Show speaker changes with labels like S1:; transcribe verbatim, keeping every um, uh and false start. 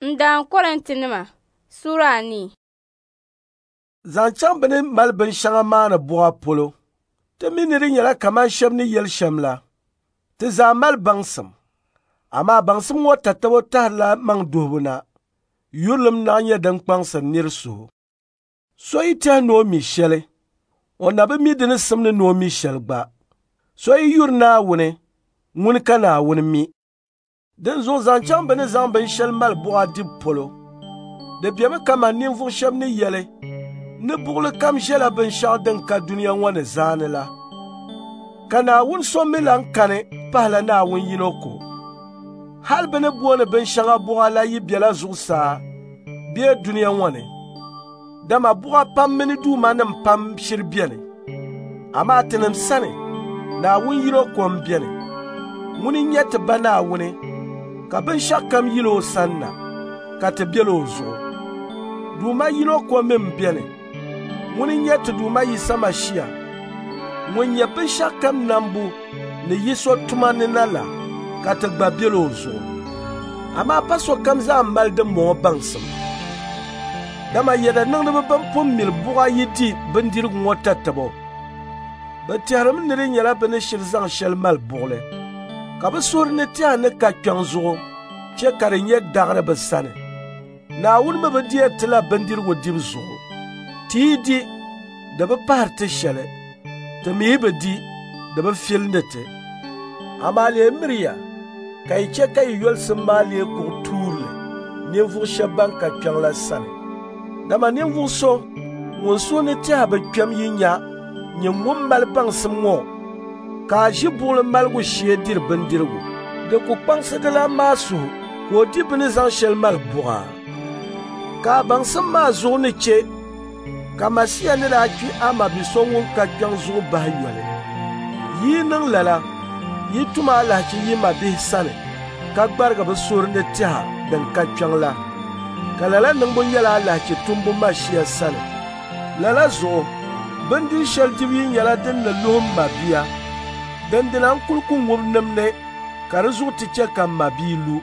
S1: N-daan Kɔrintinima Sura anii.
S2: Zaŋ chaŋ bɛ ni mali binshɛŋa maani buɣa polo, ti mi ni di nyɛla kaman shɛba ni yɛli shɛm la, ti zaa mali baŋsim. Amaa baŋsim ŋɔ tatabo tahirila maŋ duhibu na, yurilim naɣ nyɛ din kpaŋsiri nir suhu. So yi tɛhi ni o mi shɛli, o na bi mi di ni simdi ni o mi shɛli gba. So yi yuri Naawuni, ŋuni ka Naawuni mi. Dinzuɣu zaŋ chaŋ bɛ ni zaŋ binshɛli mali buɣa dibu polo, di bemi kaman ninvuɣ shɛba ni yɛli ni buɣili kam ʒɛla binshɛɣu din ka dunia ŋɔ ni zaani la. Ka Naawuni so mi lan kani pahila Naawuni yino ko. Hal bɛ ni booni binshɛŋa buɣa la yi bela zuɣusaa bee dunia ŋɔ ni, dama buɣa pam mini duumanim pam shiri beni. Amaa tinim sani, Naawuni yino ko m-beni. Ŋuni n-nyɛ ti Ba Naawuni, ka binshɛɣukam yila o sani na, ka ti bela o zuɣu. Duuma yino ko mi m-beni. Ŋuni n-nyɛ ti Duuma Yisa Mashia, ŋun nyɛ binshɛɣukam nambu ni yi so tuma ni na la, ka ti gba bela o zuɣu. Amaa pa sokam zaa mali dimbɔŋɔ baŋsim. Dama yɛda niŋdiba bɛn pun mili buɣa yi di bindirigu ŋɔ tatabo, bɛ tɛhirimi ni di nyɛla bɛ ni shiri zaŋ shɛli mali buɣili, ka bɛ suhuri ni tɛha ni ka kpiɔŋ zuɣu chɛ ka di nyɛ daɣiri bɛ sani. Naawuni mi bi deeri ti la bindirigu dibu zuɣu. Ti yi di, di bi pahiri ti shɛli, ti mi yi bi di, di bi filindi ti. Amaa lee miriya ka yi chɛ ka yi yolisim maa lee kuɣ tuurili ninvuɣ shɛba ban ka kpiɔŋ la sani. Dama ninvuɣ so ŋun suhu ni tɛha bi kpɛm yi nya nyin ŋun mali baŋsim ŋɔ ka a ʒi buɣili maligu shee diri bindirigu, di ku kpaŋsi dilan maa suhu ka o di bɛ ni zaŋ shɛli mali buɣa. Ka a baŋsim maa zuɣu ni chɛ ka Masia ni daa kpi a mabi so ŋun ka kpiɔŋ zuɣu bahi yoli. Yi yi niŋ lala, yi tum alahichi yi mabihi sani ka gbarigi bɛ suhuri ni tɛha din ka kpiɔŋ la, ka lala niŋbu nyɛla alahichi tumbu Masia sani. Lala zuɣu, bindiri shɛli dibu yi nyɛla din ni luhi m mabia, dindina n kul ku ŋubi nimdi ka di zuɣu ti chɛ ka m mabia lu.